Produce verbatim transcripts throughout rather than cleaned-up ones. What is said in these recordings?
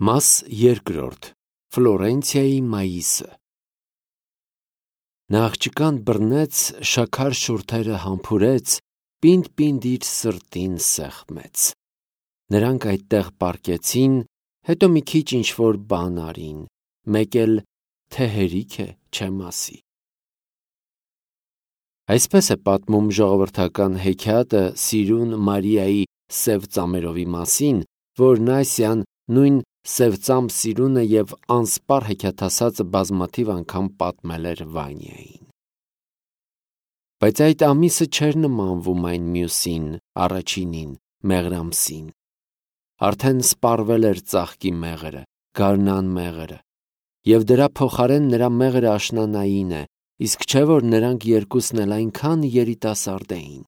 Մաս երկրորդ. Ֆլորենցիայի մայիսը։ Նա աղջկան բռնեց, շաքար շուրթերը համբուրեց, պինդ-պինդ իր սրտին սեղմեց։ Նրանք այդտեղ պառկեցին, հետո մի քիչ ինչ-որ բան արին, մեկ էլ թե հերիք է, չեմ ասի։ Այսպես է պատմում ժողովրդական հեքիաթը Սիրուն Մարիայի սև ծամերովի մասին, որն Ասիան նույն սև ծամ Սիրունը և անսպառ հեքիաթասացը բազմաթիվ անգամ պատմել էր Վանյային։ Բայց այդ ամիսը չէր նմանվում այն մյուսին, առաջինին, մեղրամսին։ Արդեն սպառվել էր ծաղկի մեղրը, գարնան մեղրը, և դրա փոխարեն նրա մեղրը աշնանային է, իսկ չէ որ նրանք երկուսն էլ այնքան երիտասարդ էին։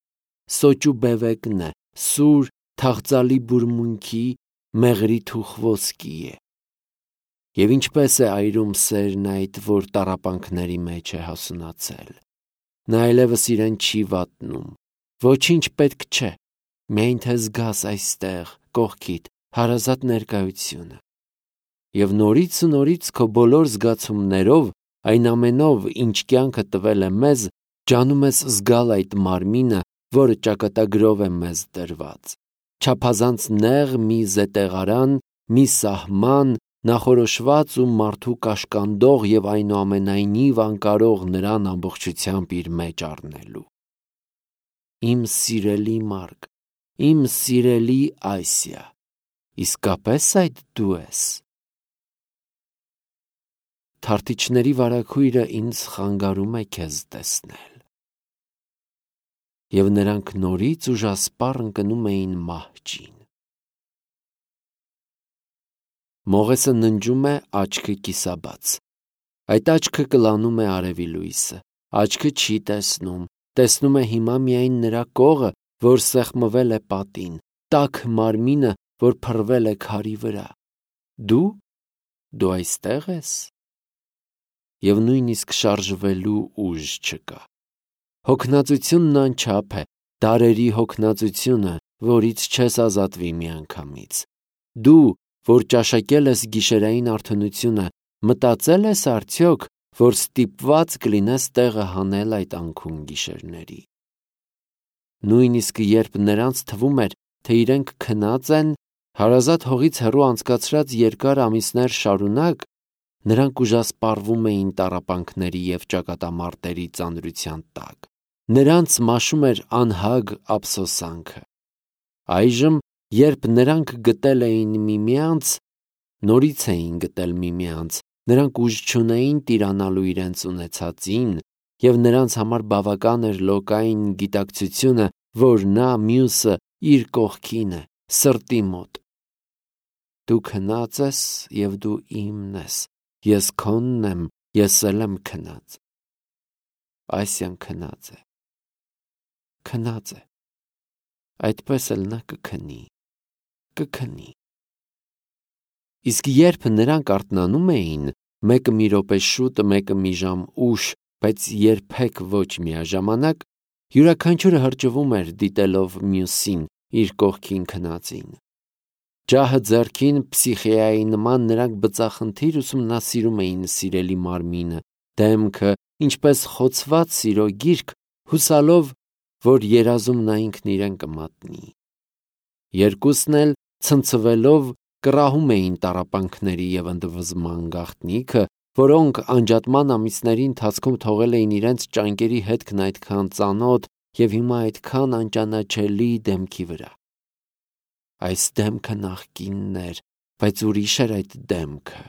Սոճու բևեկն է, սուր, թախծալի բուրմունքի, մեղրի թուխ ոսկի է։ Եվ ինչպես է այրում սերն այդ, որ տառապանքների մեջ է հասունացել։ Նա այլևս իրեն չի վատնում, ոչինչ պետք չէ, միայն թե զգաս այստեղ, կողքիդ, հարազատ ներկայությունը։ Եվ նորից ու նորից քո բոլոր զգացումներով, այն ամենով, ինչ կյանքը տվել է մեզ, ջանում ես զգալ այդ մարմինը, որը ճակատագրով է մեզ տրված, չափազանց նեղ մի զետեղարան, մի սահման, նախորոշված ու մարդու կաշկանդող և այնուամենայնիվ անկարող նրան ամբողջությամբ իր մեջ առնելու։ Իմ սիրելի Մարկ, իմ սիրելի Ասիա, իսկապես այդ դու ես։ Թարթիչների վարագույրը ինձ խանգարում է քեզ տեսնել։ Եվ նրանք նորից ուժասպառ ընկնում էին մահճին։ Մողեսը ննջում է, աչքը կիսաբաց։ Այդ աչքը կլանում է արևի լույսը, աչքը չի տեսնում, տեսնում է հիմա միայն նրա կողը, որ սեղմվել է պատին, տաք մարմինը, որ փռվել է քարի վրա։ Դու, դու այստեղ ես։ Եվ նույնիսկ շարժվելու ուժ չկա։ Հոգնածությունն անչափ է, դարերի հոգնածությունը, որից չես ազատվի միանգամից։ Դու, որ ճաշակել ես գիշերային արթունությունը, մտածել ես արդյոք, որ ստիպված կլինես տեղը հանել այդ անքուն գիշերների։ Նույնիսկ երբ նրանց թվում էր, թե իրենք քնած են, հարազատ հողից հեռու անցկացրած երկար ամիսներ շարունակ, նրանք ուժասպառվում էին տառապանքների և ճակատամարտերի ծանրության տակ։ Նրանց մաշում էր անհագ ափսոսանքը։ Այժմ, երբ նրանք գտել էին միմյանց, նորից էին գտել միմյանց, նրանք ուժ չունեին տիրանալու իրենց ունեցածին, և նրանց համար բավական էր լոկային գիտակցությունը, որ նա մյուսը իր կողքին է, սրտի մոտ։ Դու քնած ես և դու իմն ես, ես քոնն եմ, ես էլ եմ քնած։ Ասիան քնած է։ Քնած է։ Այդպես էլ նա կքնի, կքնի։ Իսկ երբ նրանք արթնանում էին, մեկը մի րոպե շուտ, մեկը մի ժամ ուշ, բայց երբեք ոչ միաժամանակ, յուրաքանչյուրը հրճվում էր դիտելով մյուսին, իր կողքին քնածին։ Ջահը ձեռքին, Պսիխեայի նման նրանք բծախնդիր ուսումնասիրում էին սիրելի մարմինը, դեմքը, ինչպես խոցված սիրո գիրք, հուսալով, որ երազում նա ինքն իրեն կմատնի։ Երկուսն էլ, ցնցվելով, կռահում էին տառապանքների և ընդվզման գաղտնիքը, որոնք անջատման ամիսների ընթացքում թողել էին իրենց ճանկերի հետքն այդքան ծանոթ և հիմա այդքան անճանաչելի դեմքի վրա։ Այս դեմքը նախկինն էր, բայց ուրիշ էր այդ դեմքը։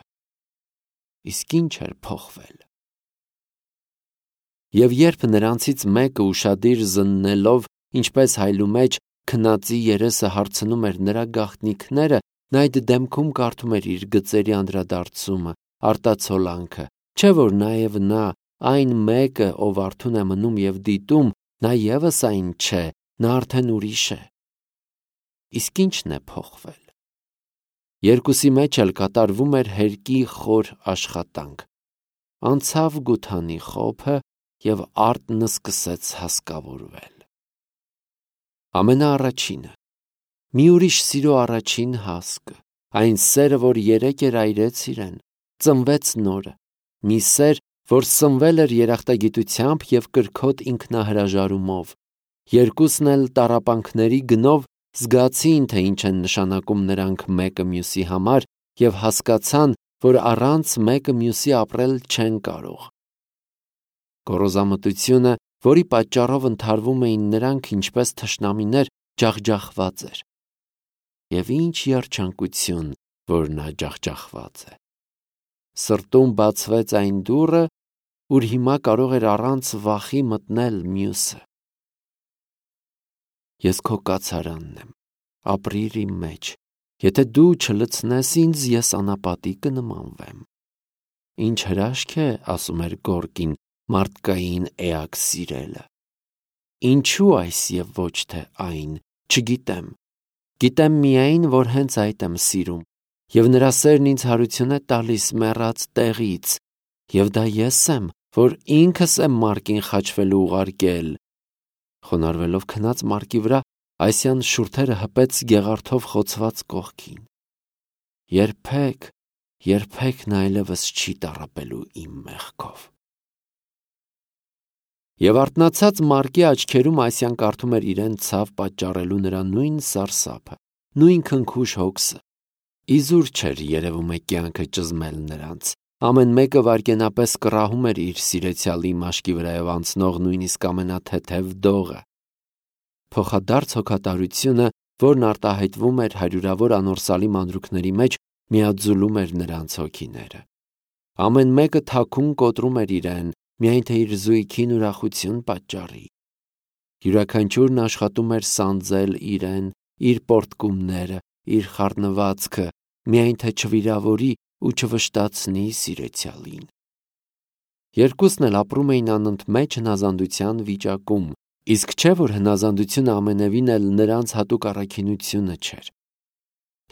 Իսկ ինչ էր փոխվել։ Եվ երբ նրանցից մեկը ուշադիր զննելով, ինչպես հայլումեջ, քնածի երեսը հարցնում էր նրա գաղտնիքները, նա այդ դեմքում կարդում էր իր գծերի անդրադարձումը, արտացոլանքը, չէ՞ որ նաև նա, այն մեկը, ով արթուն է մնում և դիտում, նա ևս այն չէ, նա արդեն ուրիշ է։ Իսկ ի՞նչն է փոխվել։ Երկուսի մեջ էլ կատարվում էր հերկի խոր աշխատանք։ Անցավ գութանի խոփը, և արտն սկսեց հասկավորվել։ Ամենաառաջինը, մի ուրիշ սիրո առաջին հասկը, այն սերը, որ երեկ էր այրեց իրեն, ծնվեց նորը, մի սեր, որ սնվել էր երախտագիտությամբ և կրքոտ ինքնահրաժարումով, երկուսն էլ տառապանքների գնով զգացին, թե ինչ են նշանակում նրանք մեկը մյուսի համար և հասկացան, որ առանց մեկը մյուսի ապրել չեն կարող։ Գոռոզամտությունը, որի պատճառով ընդհարվում էին նրանք ինչպես թշնամիներ, ջախջախված էր։ Եվ ինչ երջանկություն, որ նա ջախջախված է։ Սրտում բացվեց այն դուռը, ուր հիմա կարող էր առանց վախի մտնել մյուսը։ Ես քո կացարանն եմ, ապրիր իմ մեջ, եթե դու չլցնես ինձ, ես անապատի կնմանվեմ։ Ինչ հրաշք է, ասում էր Գորկին, մարդկային էակ սիրելը։ Ինչու այս և ոչ թե այն, չգիտեմ։ Գիտեմ միայն, որ հենց այդ եմ սիրում, և նրա սերն ինձ հարություն է տալիս մեռած տեղից, և դա ես եմ, որ ինքս եմ Մարկին խաչվելու ուղարկել։ Խոնարհվելով քնած Մարկի վրա, Այսյան շուրթերը հպեց գեղարդով խոցված կողքին։ Երբեք, երբեք նա այլևս չի տառապելու իմ մեղքով։ Եվ արթնացած Մարկի աչքերում Այսյան կարդում էր իրեն ցավ պատճառելու նրա նույն սարսափը, նույն քնքուշ հոգսը։ Իզուր չէր երևում է կյանքը ճզմել նրանց։ Ամեն մեկը վայրկենապես կռահում էր իր սիրեցյալի մաշկի վրայով անցնող նույնիսկ ամենաթեթև դողը։ Փոխադարձ հոգատարությունը, որն արտահայտվում էր հարյուրավոր անորսալի մանրուքների մեջ, միաձուլում էր նրանց հոգիները։ Ամեն մեկը թաքուն կոտրում էր իրեն, միայն թե իր զույգին ուրախություն պատճառի։ Յուրաքանչյուրն աշխատում էր սանձել իրեն, իր պոռթկումները, իր խառնվածքը, միայն թե չվիրավորի ու չվշտացնի սիրեցյալին։ Երկուսն էլ ապրում էին անընդմեջ հնազանդության վիճակում, իսկ չէ, որ հնազանդությունը ամենևին էլ նրանց հատուկ առաքինությունը չէր։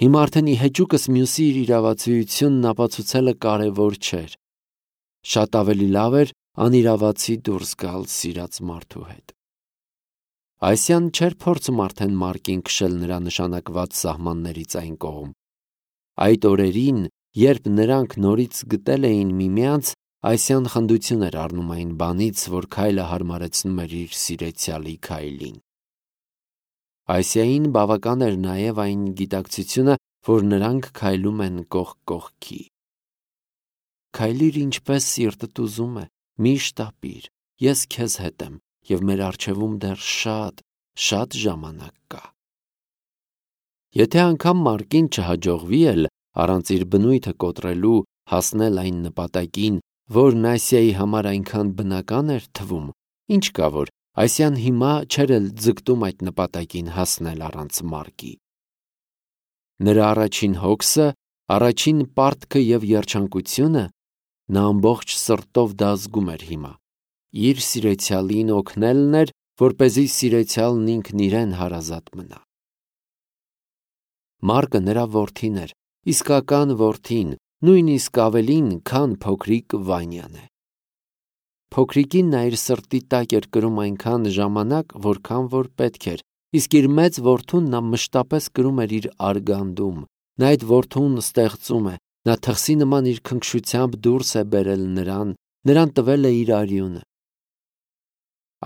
Հիմա արդեն ի հեճուկս մյուսի իր իրավացիությունն ապացուցելը կարևոր չէր։ Շատ ավելի լավ էր անիրավացի դուրս գալ սիրած մարդու հետ։ Այսյան չէր փորձում արդեն Մարկին քշել նրա նշանակված սահմաններից այն կողմ։ Այդ օրերին, երբ նրանք նորից գտել էին միմյանց, Այսյան խնդություն էր առնում այն բանից, որ քայլը հարմարեցնում էր իր սիրեցյալի քայլին։ Այսյային բավական էր նաև այն գիտակցությունը, որ նրանք քայլում են կողք կողքի։ Քայլիր ինչպես սիրտդ ուզում է, միշտ ապիր, ես քեզ հետ եմ, և մեր առջևում դեռ շատ, շատ ժամանակ կա։ Եթե անգամ Մարկին չհաջողվի էլ, առանց իր բնույթը կոտրելու, հասնել այն նպատակին, որն Այսիայի համար այնքան բնական էր թվում, ինչ կա որ Այսյան հիմա չէր էլ ձգտում այդ նպատակին հասնել առանց Մարկի։ Նրա առաջին հոգսը, առաջին պարտքը և երջանկությունը, նա ամբողջ սրտով դա զգում էր հիմա, իր սիրեցյալին օգնելն էր, որպեսզի սիրեցյալն ինքն իրեն հարազատ մնա։ Մարկը նրա որդին էր, իսկական որդին, նույնիսկ ավելին, քան փոքրիկ Վանյան է։ Փոքրիկին նա իր սրտի տակ էր կրում այնքան ժամանակ, որքան որ պետք էր, իսկ իր մեծ որդուն նա մշտապես կրում էր իր արգանդում, նա այդ որդուն ստեղծում է, նա թխսի նման իր քնքշությամբ դուրս է բերել նրան, նրան տվել է իր արյունը։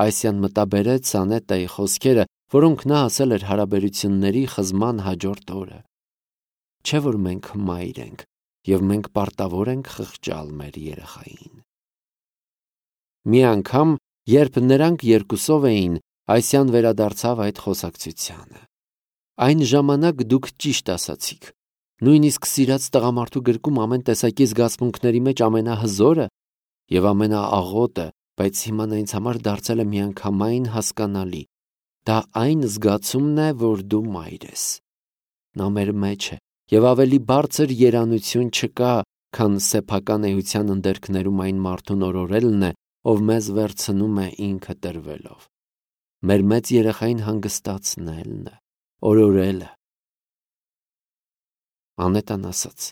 Այսյան մտաբերեց Անետայի խոսքերը, որոնք նա ասել էր հարաբերությունների խզման հաջորդ օրը։ Չէ՞ որ մենք մայր ենք, և մենք պարտավոր ենք խղճալ մեր երեխային։ Մի անգամ, երբ նրանք երկուսով էին, Այսյան վերադարձավ այդ խոսակցությանը։ Այն ժամանակ դուք ճիշտ ասացիք։ Նույնիսկ սիրած տղամարդու գրկում ամեն տեսակի զգացմունքների մեջ ամենահզորը և ամենաաղոտը, բայց հիմա նա ինձ համար դարձել է միանգամայն հասկանալի։ Դա այն զգացումն է, որ դու մայր ես։ Նա մեր մեջ է, և ավելի բարձր երանություն չկա, քան սեփական էության ընդերքներում այն մարդուն օրորելն է, ով մեզ վերցնում է ինքը տրվելով։ Մեր մեծ երեխային հանգստացնելն է, օրորելը։ Անետան ասաց.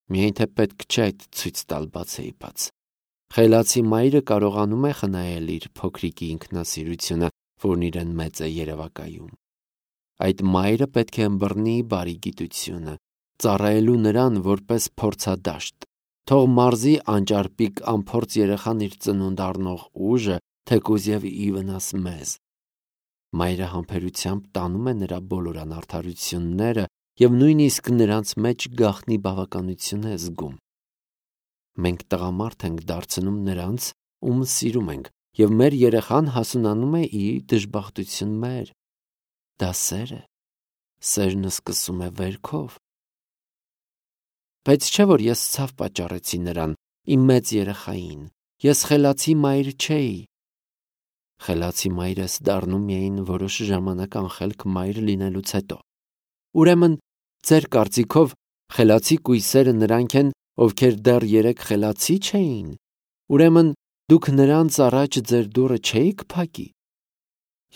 միայն թե պետք չէ այդ ցույց տալ բացեի բաց։ Խելացի մայրը կարողանում է խնայել իր փոքրիկի ինքնասիրությունը, որն իրեն մեծ է երևակայում։ Այդ մայրը պետք է ըմբռնի բարի գիտությունը, ծառայելու նրան որպես փորձադաշտ։ Թող մարզի անճարպիկ անփորձ երեխան իր ծնունդ առնող ուժը, թեկուզ եւ ի վնաս մեզ։ Մայրը համբերությամբ տանում է նրա բոլոր անարդարությունները եւ նույնիսկ նրանց մեջ գաղտնի բավականություն է զգում։ Մենք տղամարդ ենք դարձնում նրանց, ում սիրում ենք, եւ մեր երեխան հասունանում է ի դժբախտություն մեր։ Դա սեր է։ Սերն սկսում է վերքով։ Բայց չէ՞ որ ես ցավ պատճառեցի նրան, իմ մեծ երեխային։ Ես խելացի մայր չէի։ Խելացի մայր ես դառնում միայն որոշ ժամանակ անխելք մայր լինելուց հետո։ Ուրեմն, ձեր կարծիքով խելացի կույսերը նրանք են, ովքեր դեռ երեք խելացի չէին։ Ուրեմն, դուք նրանց առաջ ձեր դուռը չէիք փակի։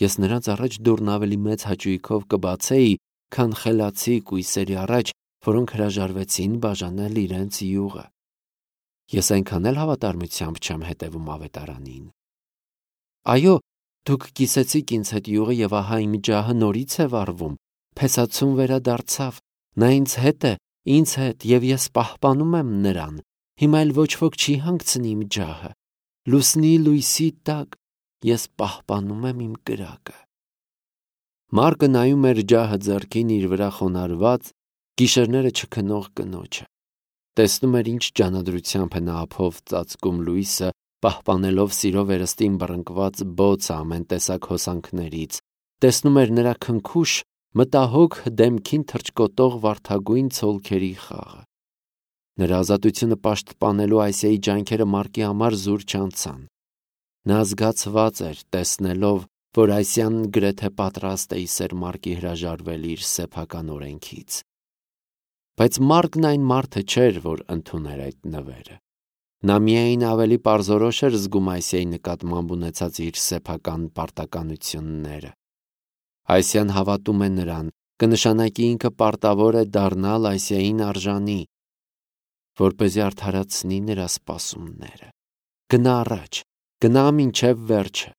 Ես նրանց առաջ դուռն ավելի մեծ հաճույքով կբացեի, քան խելացի կույսերի առաջ, որոնք հրաժարվեցին բաժանել իրենց յուղը։ Ես այնքան էլ հավատարմությամբ չեմ հետևում ավետարանին։ Այո, դուք կիսեցիք ինձ հետ յուղը եւ ահա իմ ջահը նորից է վառվում, փեսացուն վերադարձավ, նա ինձ հետ է, ինձ հետ եւ ես պահպանում եմ նրան, հիմա էլ ոչ ոք չի հանգցնի իմ ջահը, լուսնի լույսի տակ ես պահպանում եմ իմ կրակը։ Մարկը նայում էր ջահը ձեռքին իր վրա խոնարհված, գիշերները չքնող կնոջը, տեսնում էր ինչ ջանադրությամբ է նա ափով ծածկում լույսը, պահպանելով սիրո վերստին բռնկված բոցը ամեն տեսակ հոսանքներից, տեսնում էր նրա քնքուշ, մտահոգ դեմքին թռչկոտող վարդագույն ցոլքերի խաղը։ Նրա ազատությունը պաշտպանելու Այսիայի ջանքերը Մարկի համար զուր չանցան։ Նա զգացված էր, տեսնելով, որ Այսիան գրեթե պատրաստ է իսեր Մարկի հրաժարվել իր սեփական օրենքից։ Բայց Մարկն այն մարդը չէր, որ ընդուներ այդ նվերը։ Նա միայն ավելի պարզորոշ էր զգում Այսիայի նկատմամբ ունեցած իր սեփական պարտականությունները։ Այսիան հավատում է նրան, կնշանակի ինքը պարտավոր է դառնալ Այսիային արժանի, որպեսզի արդարացնի նրա սպասումները։ Գնա առաջ, գնա մինչև վերջը։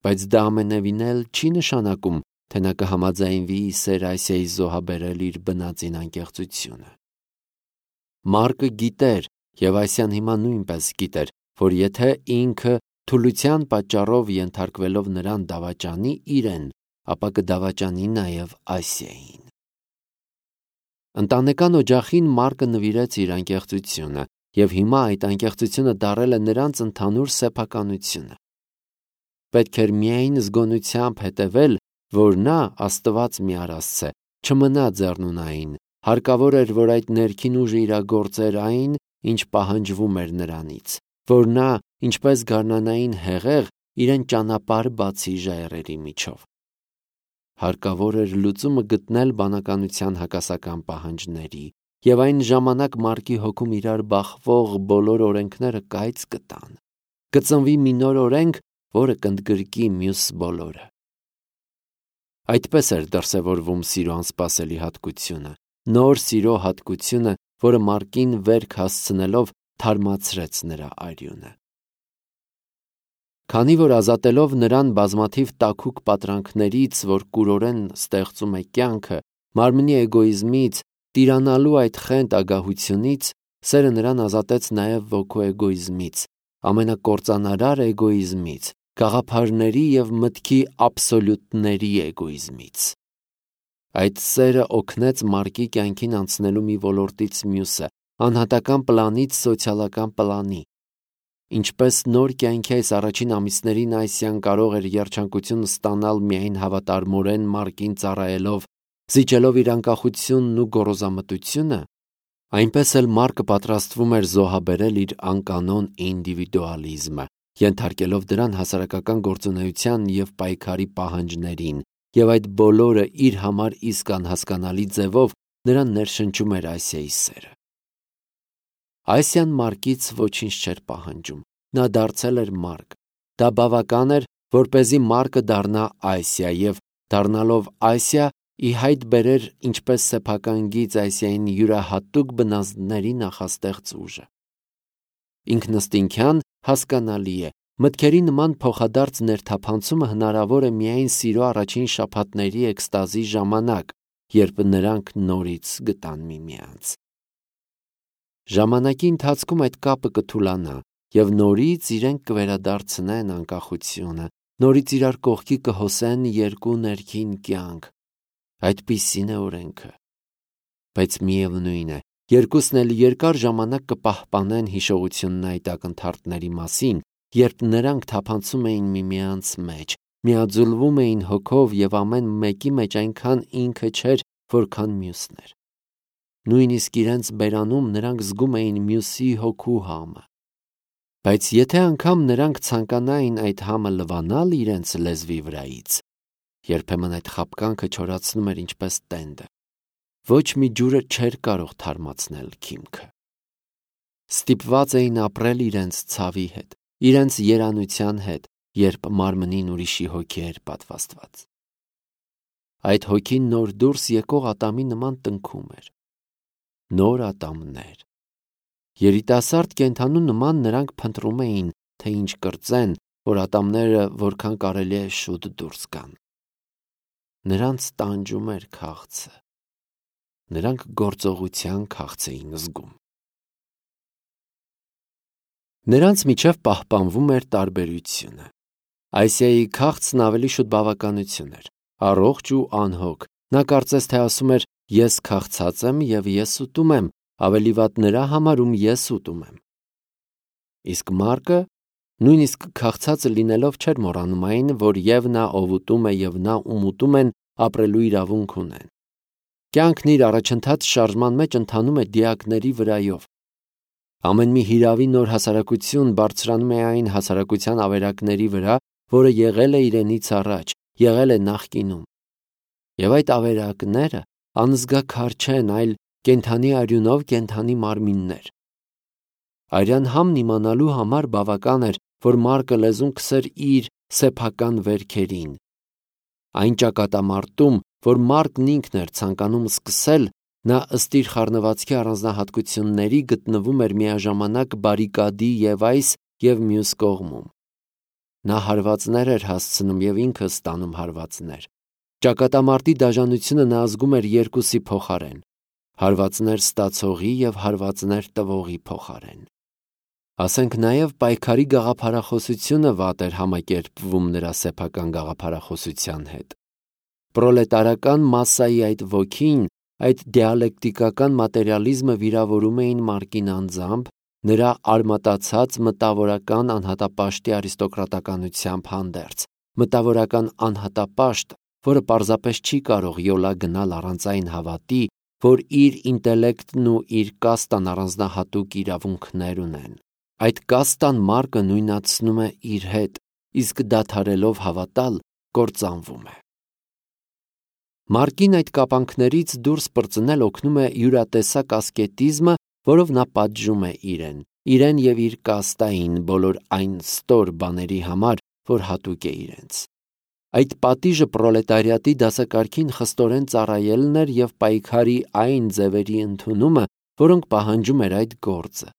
Բայց դա ամենևին էլ չի նշանակում, թե նա կհամաձայնվի իսեր Այսիայի զոհաբերել իր բնածին անկեղծությունը։ Մարկը գիտեր, եւ Այսիան հիմա նույնպես գիտեր, որ եթե ինքը թուլության պատճառով ենթարկվելով նրան դավաճանի իրեն, ապա կդավաճանի նաև Այսիային։ Ընտանեկան օջախին Մարկը նվիրեց իր անկեղծությունը, եւ հիմա այդ անկեղծությունը դարել է նրանց ընդհանուր սեփականությունը։ Պետք էր միայն զգոնությամբ հետևել, որ նա, Աստված մի արասցե, չմնա ձեռնունային, հարկավոր էր, որ այդ ներքին ուժը իրագործեր այն, ինչ պահանջվում էր նրանից, որ նա, ինչպես գարնանային հեղեղ, իրեն ճանապարհ բացի ժայռերի միջով։ Հարկավոր էր լուծումը գտնել բանականության հակասական պահանջների, եւ այն ժամանակ Մարկի հոգում իրար բախվող բոլոր օրենքները կայծ կտան։ Կծնվի մի նոր օրենք, որը կընդգրկի մյուս բոլորը։ Այդպես էր դրսևորվում սիրո անսպասելի հատկությունը, նոր սիրո հատկությունը, որը Մարկին վերք հասցնելով թարմացրեց նրա արյունը։ Քանի որ ազատելով նրան բազմաթիվ տաքուկ պատրանքներից, որ կուրորեն ստեղծում է կյանքը, մարմնի էգոիզմից, տիրանալու այդ խենթ ագահությունից, սերը նրան ազատեց նաև ոգու էգոիզմից, ամենակործանարար էգոիզմից, գաղափարների եւ մտքի աբսոլյուտների էգոիզմից։ Այդ սերը օգնեց Մարկի կյանքին անցնելու մի ոլորտից մյուսը, անհատական պլանից սոցիալական պլանի։ Ինչպես նոր կյանքի այս առաջին ամիսներին Այսիան կարող էր երջանկություն ստանալ միայն հավատարմորեն Մարկին ծառայելով, զիջելով իր անկախությունն ու գոռոզամտությունը, այնպես էլ Մարկը պատրաստվում էր զոհաբերել իր անկանոն ինդիվիդուալիզմը, ենթարկելով դրան հասարակական գործունեության եւ պայքարի պահանջներին, եւ այդ բոլորը իր համար իսկ անհասկանալի ձևով նրան ներշնչում էր Այսիայի սերը։ Այսիան Մարկից ոչինչ չէր պահանջում, նա դարձել էր Մարկ։ Դա բավական էր, որպեսզի Մարկը դառնա Այսիա եւ դառնալով Այսիա ի հայտ բերեր ինչպես սեփական գիծ Այսիային յուրահատուկ բնազդների նախաստեղծ ուժը։ Ինքնըստինքյան հասկանալի է, մտքերի նման փոխադարձ ներթափանցումը հնարավոր է միայն սիրո առաջին շաբաթների էքստազի ժամանակ, երբ նրանք նորից գտան միմյանց։ Ժամանակի ընթացքում այդ կապը կթուլանա և նորից իրենք կվերադարձնեն անկախությունը, նորից իրար կողքի կհոսեն երկու ներքին կյանք։ Այդպիսին է օրենքը։ Բայց միևնույն է, երկուսն էլ երկար ժամանակ կպահպանեն հիշողությունն այդ ակնթարթների մասին, երբ նրանք թափանցում էին միմյանց մեջ, միաձուլվում էին հոգով և ամեն մեկի մեջ այնքան ինքը չէր, որքան մյուսն էր։ Նույնիսկ իրենց բերանում նրանք զգում էին մյուսի հոգու համը։ Բայց եթե անգամ նրանք ցանկանային այդ համը լվանալ իրենց լեզվի վրայից, երբեմն այդ խաբկանքը չորացնում էր ինչպես տենդը։ Ոչ մի ջուրը չէր կարող թարմացնել քիմքը։ Ստիպված էին ապրել իրենց ցավի հետ, իրենց երանության հետ, երբ մարմնին ուրիշի հոգի էր պատվաստված։ Այդ հոգին նոր դուրս եկող ատամի նման տնքում էր։ Նոր ատամներ։ Երիտասարդ կենդանու նման նրանք փնտրում էին, թե ինչ կրծեն, որ ատամները որքան կարելի է շուտ դուրս գան։ Նրանց տանջում էր քաղցը։ Նրանք գործողության քաղց էին զգում։ Նրանց միջև պահպանվում էր տարբերությունը։ Այսիայի քաղցն ավելի շուտ բավականություն էր, առողջ ու անհոգ։ Նա կարծես թե ասում էր. «Ես քաղցած եմ և ես ուտում եմ, ավելի վատ նրա համար, ում ես ուտում եմ»։ Իսկ Մարկը նույնիսկ քաղցածը լինելով չէր մոռանում այն, որ և նա, ով ուտում է, և նա, ում ուտում են, ապրելու իրավունք ունեն։ Կյանքն իր առաջընթաց շարժման մեջ ընթանում է դիակների վրայով։ Ամեն մի հիրավի նոր հասարակություն բարձրանում է այն հասարակության ավերակների վրա, որը եղել է իրենից առաջ, եղել է նախկինում։ Եվ այդ ավերակները անզգաքար չեն, այլ կենդանի արյունով կենդանի մարմիններ։ Արյան համն իմանալու համար բավական էր, որ Մարկը լեզուն քսեր իր սեփական վերքերին։ Այն ճակատամարտում, որ Մարկն ինքն էր ցանկանում սկսել, նա ըստ իր խառնվածքի առանձնահատկությունների գտնվում էր միաժամանակ բարիկադի և այս և մյուս կողմում։ Նա հարվածներ էր հասցնում և ինքը ստանում հարվածներ։ Ճակատամարտի դաժանությունը նա զգում էր երկուսի փոխարեն՝ հարվածներ ստացողի և հարվածներ տվողի փոխարեն։ Ասենք նաև պայքարի գաղափարախոսությունը վատ էր համակերպվում նրա սեփական գաղափարախոսության հետ։ Պրոլետարական մասսայի այդ ոգին, այդ դիալեկտիկական մատերիալիզմը վիրավորում էին Մարկին անձամբ, նրա արմատացած մտավորական անհատապաշտի արիստոկրատականությամբ հանդերձ, մտավորական անհատապաշտ, որը պարզապես չի կարող յոլա գնալ առանց այն հավատի, որ իր ինտելեկտն ու իր կաստան առանձնահատուկ իրավունքներ ունեն։ Այդ կաստան Մարկը նույնացնում է իր հետ, իսկ դադարելով հավատալ, կործանվում է։ Մարկին այդ կապանքներից դուրս պրծնել օգնում է յուրատեսակ ասկետիզմը, որով նա պատժում է իրեն, իրեն և իր կաստային բոլոր այն ստոր բաների համար, որ հատուկ է իրենց։ Այդ պատիժը պրոլետարիատի դասակարգին խստորեն ծառայելն էր և պայքարի այն ձևերի ընդունումը, որոնք պահանջում էր այդ գործը։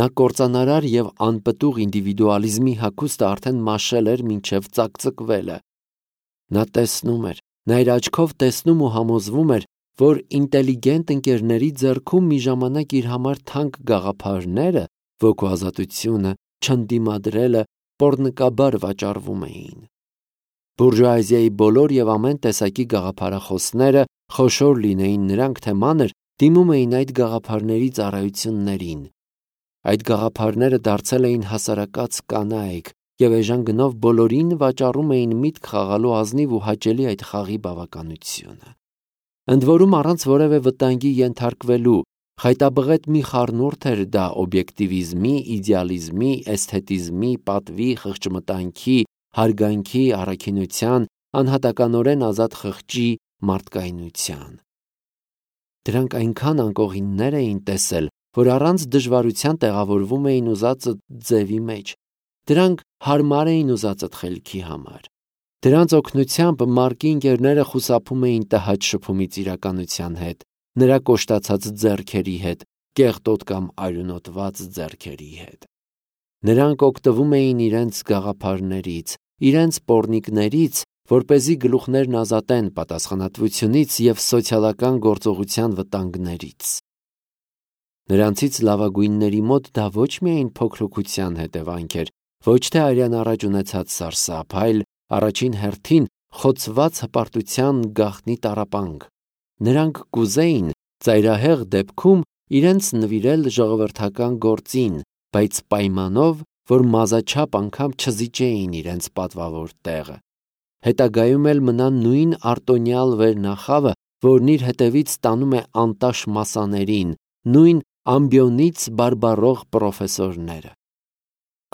Նա կործանարար և անպտուղ ինդիվիդուալիզմի հագուստը արդեն մաշել էր մինչև ծակծկվելը։ Նա տեսնում էր, նա իր աչքով տեսնում ու համոզվում էր, որ ինտելիգենտ ընկերների ձեռքում մի ժամանակ իր համար թանկ գաղափարները, ոգու չընդդիմադրելը պոռնկաբար վաճառվում էին։ Բուրժուազիայի բոլոր և ամեն տեսակի գաղափարախոսները, խոշոր լինեին նրանք թե մանր, դիմում էին այդ գաղափարների ծառայություններին։ Այդ գաղափարները դարձել էին հասարակած կանայք և էժան գնով բոլորին վաճառում էին միտք խաղալու ազնիվ ու հաճելի այդ խաղի բավականությունը։ Ընդ որում առանց որևէ վտանգի ենթարկվելու, խայտաբղետ մի խառնուրդ էր դա օբյեկտիվիզմի, իդեալիզմի, էսթետիզմի, պատվի, խղճմտանքի, հարգանքի, առաքինության, անհատականորեն ազատ խղճի, մարդկայնության։ Դրանք այնքան անկողիններ էին տեսել, որ առանց դժվարության տեղավորվում էին ուզածդ ձևի մեջ։ Դրանք հարմար էին ուզածդ խելքի համար։ Դրանց օգնությամբ Մարկի ընկերները խուսափում էին տհաճ շփումից իրականության հետ, նրա կոշտացած ձեռքերի հետ, կեղտոտ կամ արյունոտված ձեռքերի հետ։ Նրանք օգտվում էին իրենց գաղափարներից, իրենց պոռնիկներից, որպեսզի գլուխներն ազատեն պատասխանատվությունից և սոցիալական գործողության վտանգներից։ Նրանցից լավագույնների մոտ դա ոչ միայն փոքրության հետևանք էր, ոչ թե արյան առաջ ունեցած սարսափ, այլ առաջին հերթին խոցված հպարտության գաղտնի տառապանք։ Նրանք կուզեին ծայրահեղ դեպքում իրենց նվիրել ժողովրդական գործին, բայց պայմանով, որ մազաչափ անգամ չզիջեին իրենց պատվավոր տեղը։ Հետագայում էլ մնա նույն արտոնյալ վերնախավը, որն իր հետևից տանում է անտաշ մասաներին, նույն ամբիոնից բարբառող պրոֆեսորները։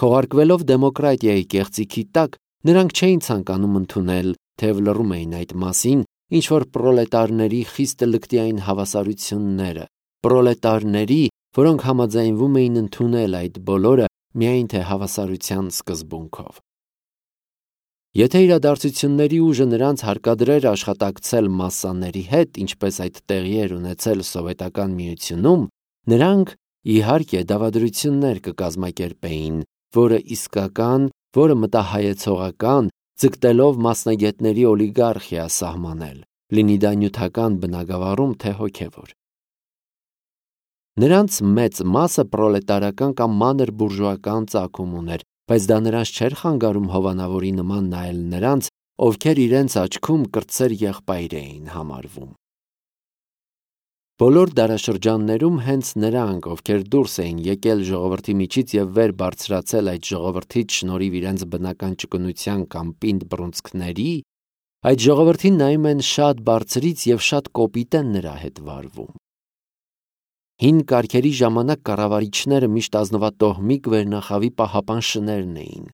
Քողարկվելով դեմոկրատիայի կեղծիքի տակ, նրանք չէին ցանկանում ընդունել, թեև լռում էին այդ մասին, ինչ-որ պրոլետարների խիստ լկտիային հավասարությունները, պրոլետարների, որոնք համաձայնվում էին ընդունել այդ բոլորը միայն թե հավասարության սկզբունքով։ Եթե իրադարձությունների ուժը նրանց հարկադրեր աշխատակցել մասսաների հետ, ինչպես այդ տեղի էր ունեցել Սովետական Միությունում, նրանք, իհարկե, դավադրություններ կկազմակերպեին, որը իսկական, որը մտահայեցողական, ձգտելով մասնագետների օլիգարխիա սահմանել, լինի դա նյութական բնագավառում, թե հոգևոր։ Նրանց մեծ մասը պրոլետարական կամ մանր բուրժուական ծագում ուներ, բայց դա նրանց չէր խանգարում հովանավորի նման նայել նրանց, ովքեր իրենց աչքում կրտսեր եղբայր էին համարվում։ Բոլոր դարաշրջաններում հենց նրանք, ովքեր դուրս էին եկել ժողովրդի միջից և վեր բարձրացել այդ ժողովրդից շնորհիվ իրենց բնական ճկունության կամ պինդ բռունցքների, այդ ժողովրդին նայում են շատ բարձրից և շատ կոպիտ են նրա հետ վարվում։ Հին կարգերի ժամանակ կառավարիչները միշտ ազնվատոհմիկ վերնախավի պահապան շներն էին։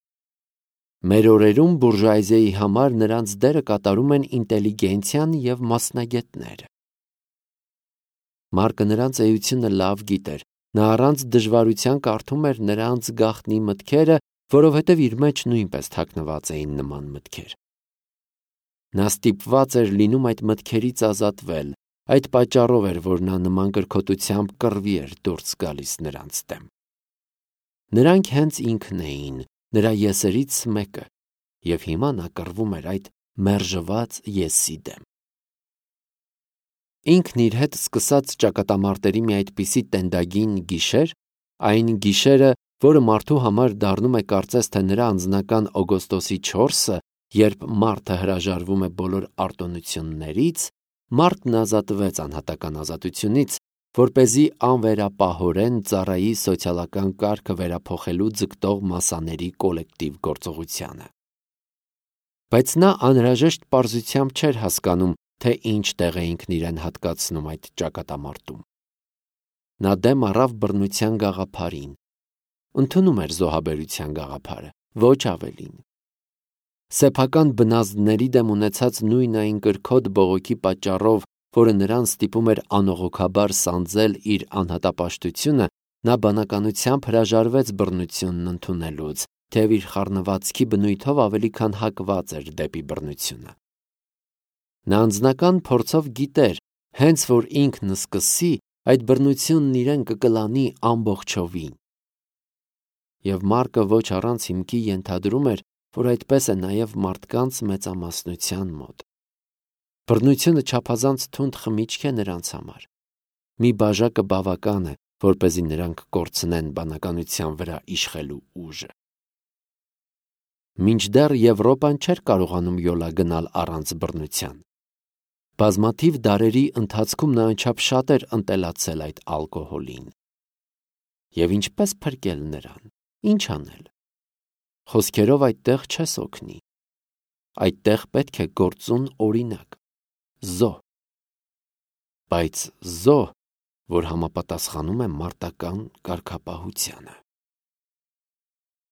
Մեր օրերում բուրժուազիայի համար նրանց դերը կատարում են ինտելիգենցիան և մասնագետները։ Մարկը նրանց էությունը լավ գիտեր, նա առանց դժվարության կարդում էր նրանց գաղտնի մտքերը, որովհետև իր մեջ նույնպես թաքնված էին նման մտքեր։ Նա ստիպված էր լինում այդ մտքերից ազատվել, այդ պատճառով էր, որ նա նման կրքոտությամբ կռվի էր դուրս գալիս նրանց դեմ։ Նրանք հենց ինքն էին, նրա եսերից մեկը, և հիմա նա կռվում էր այդ մերժված եսի դեմ։ Ինքն իր հետ սկսած ճակատամարտերի մի այդպիսի տենդագին գիշեր, այն գիշերը, որը մարդու համար դառնում է կարծես թե նրա անձնական օգոստոսի չորսը, երբ մարդը հրաժարվում է բոլոր արտոնություններից, մարդն ազատվեց անհատական ազատությունից, որպեսզի անվերապահորեն ծառայի սոցիալական կարգը վերափոխելու ձգտող մասաների կոլեկտիվ գործողությանը։ Բայց նա անհրաժեշտ պարզությամբ չէր հասկանում, թե ինչ տեղ է ինքն իրեն հատկացնում այդ ճակատամարտում։ Նա դեմ առավ բռնության գաղափարին, ընդունում էր զոհաբերության գաղափարը, ոչ ավելին։ Սեփական բնազդների դեմ ունեցած նույն այն կրքոտ բողոքի պատճառով, որը նրան ստիպում էր անողոքաբար սանձել իր անհատապաշտությունը, նա բանականությամբ հրաժարվեց բռնությունն ընդունելուց, թեև իր խառնվածքի բնույթով ավելի քան հակված էր դեպի բռնությունը։ Նա անձնական փորձով գիտեր, հենց որ ինքն սկսի, այդ բռնությունն իրեն կկլանի ամբողջովին։ Եվ Մարկը ոչ առանց հիմքի ենթադրում էր, որ այդպես է նաև մարդկանց մեծամասնության մոտ։ Բռնությունը չափազանց թունդ խմիչք է նրանց համար։ Մի բաժակը բավական է, որպեսզի նրանք կորցնեն բանականության վրա իշխելու ուժը։ Մինչդեռ Եվրոպան չէր կարողանում յոլա գնալ առանց բռնության։ Բազմաթիվ դարերի ընթացքում նա անչափ շատ էր ընտելացել այդ ալկոհոլին։ Եվ ինչպես փրկել նրան, ինչ անել։ Խոսքերով այդտեղ չես օգնի։ Այդտեղ պետք է գործուն օրինակ, զոհ։ Բայց զոհ, որ համապատասխանում է մարտական կարգապահությանը։